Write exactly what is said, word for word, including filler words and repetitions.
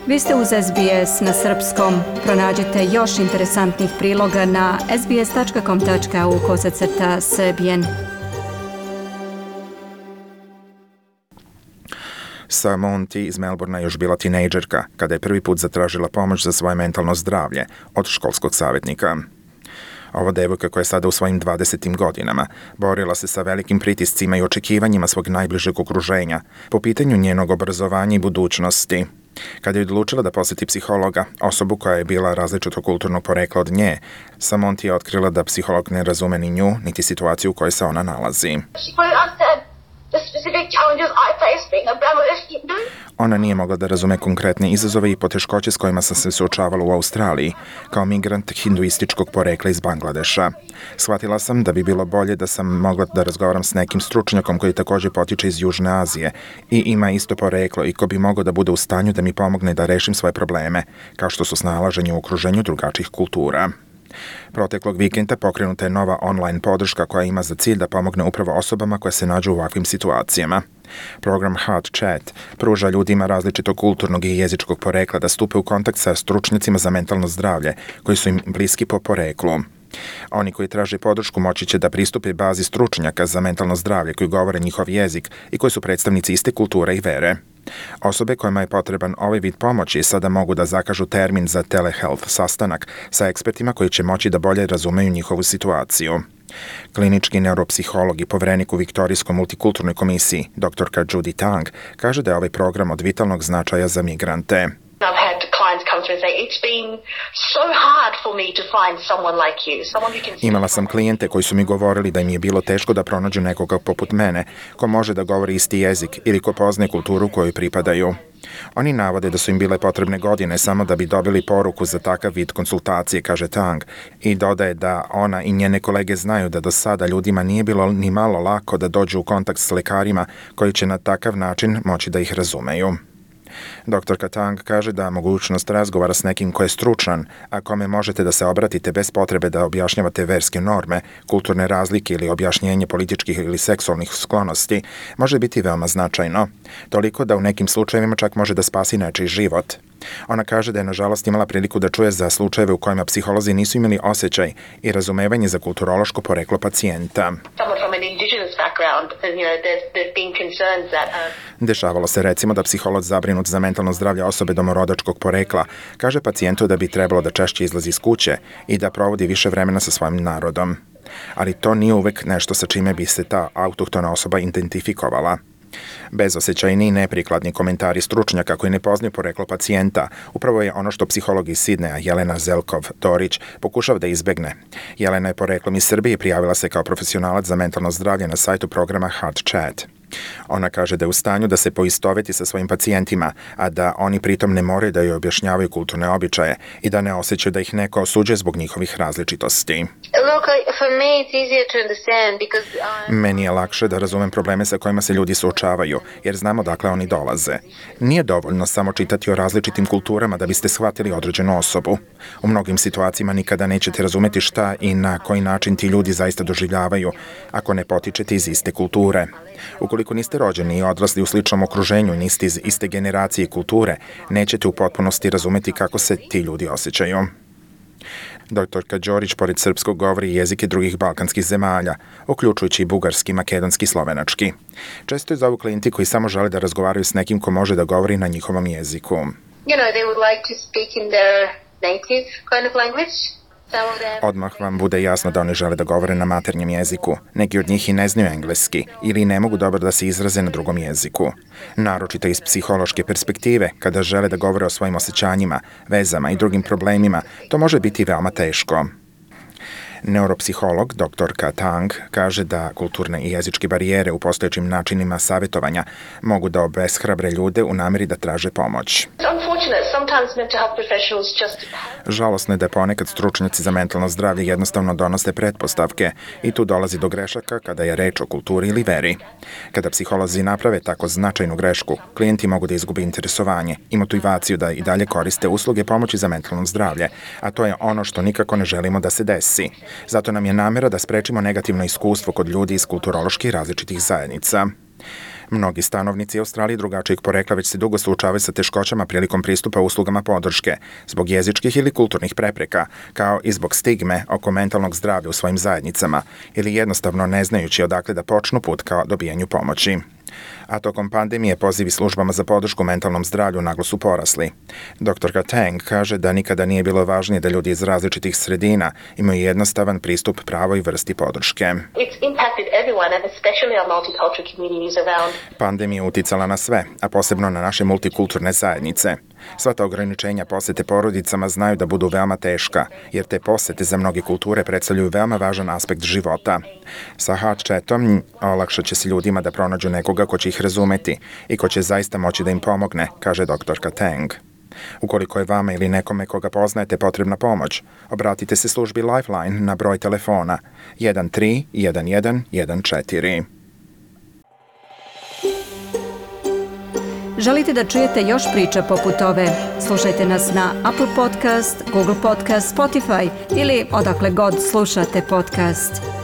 Vi ste uz S B S na srpskom. Pronađite još interesantnih priloga na sbs tačka com tačka au kosacrta srbijen. Monty iz Melbournea još bila tinejdžerka kada je prvi put zatražila pomoć za svoje mentalno zdravlje od školskog savjetnika. Ova devojka koja je sada u svojim dvadesetim godinama borila se sa velikim pritiscima i očekivanjima svog najbližeg okruženja po pitanju njenog obrazovanja i budućnosti. Kada je odlučila da poseti psihologa, osobu koja je bila različitog kulturnog porekla od nje, Monty je otkrila da psiholog ne razume ni nju, niti situaciju u kojoj se ona nalazi. Ona nije mogla da razume konkretne izazove i poteškoće s kojima sam se suočavala u Australiji, kao migrant hinduističkog porekla iz Bangladeša. Shvatila sam da bi bilo bolje da sam mogla da razgovaram s nekim stručnjakom koji također potiče iz Južne Azije i ima isto poreklo i ko bi mogao da bude u stanju da mi pomogne da rešim svoje probleme, kao što su snalaženje u okruženju drugačijih kultura. Proteklog vikenda pokrenuta je nova online podrška koja ima za cilj da pomogne upravo osobama koje se nađu u ovakvim situacijama. Program Heart Chat pruža ljudima različitog kulturnog i jezičkog porekla da stupe u kontakt sa stručnjacima za mentalno zdravlje koji su im bliski po poreklu. Oni koji traže podršku moći će da pristupe bazi stručnjaka za mentalno zdravlje koji govore njihov jezik i koji su predstavnici iste kulture i vere. Osobe kojima je potreban ovaj vid pomoći sada mogu da zakažu termin za telehealth sastanak sa ekspertima koji će moći da bolje razumeju njihovu situaciju. Klinički neuropsiholog i poverenik u Viktorijskoj multikulturnoj komisiji, doktorka Judy Tang, kaže da je ovaj program od vitalnog značaja za migrante. Imala sam klijente koji su mi govorili da im je bilo teško da pronađu nekoga poput mene, ko može da govori isti jezik ili ko poznaje kulturu kojoj pripadaju. Oni navode da su im bile potrebne godine samo da bi dobili poruku za takav vid konsultacije, kaže Tang, i dodaje da ona i njene kolege znaju da do sada ljudima nije bilo ni malo lako da dođu u kontakt s lekarima koji će na takav način moći da ih razumeju. Doktorka Tang kaže da mogućnost razgovara s nekim ko je stručan, a kome možete da se obratite bez potrebe da objašnjavate verske norme, kulturne razlike ili objašnjenje političkih ili seksualnih sklonosti, može biti veoma značajno. Toliko da u nekim slučajevima čak može da spasi nečiji život. Ona kaže da je nažalost imala priliku da čuje za slučajeve u kojima psiholozi nisu imali osjećaj i razumevanje za kulturološko poreklo pacijenta. Dešavalo se recimo da psiholog zabrinut za mentalno zdravlje osobe domorodačkog porekla kaže pacijentu da bi trebalo da češće izlazi iz kuće i da provodi više vremena sa svojim narodom. Ali to nije uvek nešto sa čime bi se ta autohtona osoba identifikovala. Bezosećajni i neprikladni komentari stručnjaka koji ne poznaju poreklo pacijenta upravo je ono što psiholog iz Sidneja Jelena Zelkov-Dorić pokušava da izbegne. Jelena je poreklom iz Srbije i prijavila se kao profesionalac za mentalno zdravlje na sajtu programa Heart Chat. Ona kaže da je u stanju da se poistoveti sa svojim pacijentima, a da oni pritom ne moraju da joj objašnjavaju kulturne običaje i da ne osjećaju da ih neko osuđuje zbog njihovih različitosti. Meni je lakše da razumem probleme sa kojima se ljudi suočavaju, jer znam odakle oni dolaze. Nije dovoljno samo čitati o različitim kulturama da biste shvatili određenu osobu. U mnogim situacijama nikada nećete razumeti šta i na koji način ti ljudi zaista doživljavaju, ako ne potičete iz iste kulture. Ukoliko niste rođeni i odrasli u sličnom okruženju, niste iz iste generacije i kulture, nećete u potpunosti razumeti kako se ti ljudi osjećaju. Doktorka Đorić pored srpskog govori jezike drugih balkanskih zemalja, uključujući i bugarski, makedonski i slovenački. Često je zovu klijenti koji samo žele da razgovaraju s nekim ko može da govori na njihovom jeziku. You know, they would like to speak in their native kind of language. Odmah vam bude jasno da oni žele da govore na maternjem jeziku. Neki od njih i ne znaju engleski ili ne mogu dobro da se izraze na drugom jeziku. Naročito iz psihološke perspektive, kada žele da govore o svojim osjećanjima, vezama i drugim problemima, to može biti veoma teško. Neuropsiholog doktorka Tang kaže da kulturne i jezičke barijere u postojećim načinima savjetovanja mogu da obeshrabre ljude u nameri da traže pomoć. Žalosno je da ponekad stručnjaci za mentalno zdravlje jednostavno donose pretpostavke i tu dolazi do grešaka kada je reč o kulturi ili veri. Kada psiholozi naprave tako značajnu grešku, klijenti mogu da izgube interesovanje i motivaciju da i dalje koriste usluge pomoći za mentalno zdravlje, a to je ono što nikako ne želimo da se desi. Zato nam je namera da sprečimo negativno iskustvo kod ljudi iz kulturološki različitih zajednica. Mnogi stanovnici Australije drugačijeg porekla već se dugo suočavaju sa teškoćama prilikom pristupa uslugama podrške, zbog jezičkih ili kulturnih prepreka, kao i zbog stigme oko mentalnog zdravlja u svojim zajednicama, ili jednostavno ne znajući odakle da počnu put kao dobijanju pomoći. A tokom pandemije pozivi službama za podršku mentalnom zdravlju naglo su porasli. Doktorka Tang kaže da nikada nije bilo važnije da ljudi iz različitih sredina imaju jednostavan pristup pravoj vrsti podrške. Pandemija je uticala na sve, a posebno na naše multikulturne zajednice. Sva ta ograničenja posete porodicama znaju da budu veoma teška, jer te posete za mnoge kulture predstavljaju veoma važan aspekt života. Sa Heart Chatom olakšat će se ljudima da pronađu nekoga ko će ih razumeti i ko će zaista moći da im pomogne, kaže doktorka Tang. Ukoliko je vama ili nekome koga poznajete potrebna pomoć, obratite se službi Lifeline na broj telefona jedan tri jedan jedan jedan četiri. Želite da čujete još priča poput ove? Slušajte nas na Apple Podcast, Google Podcast, Spotify ili odakle god slušate podcast.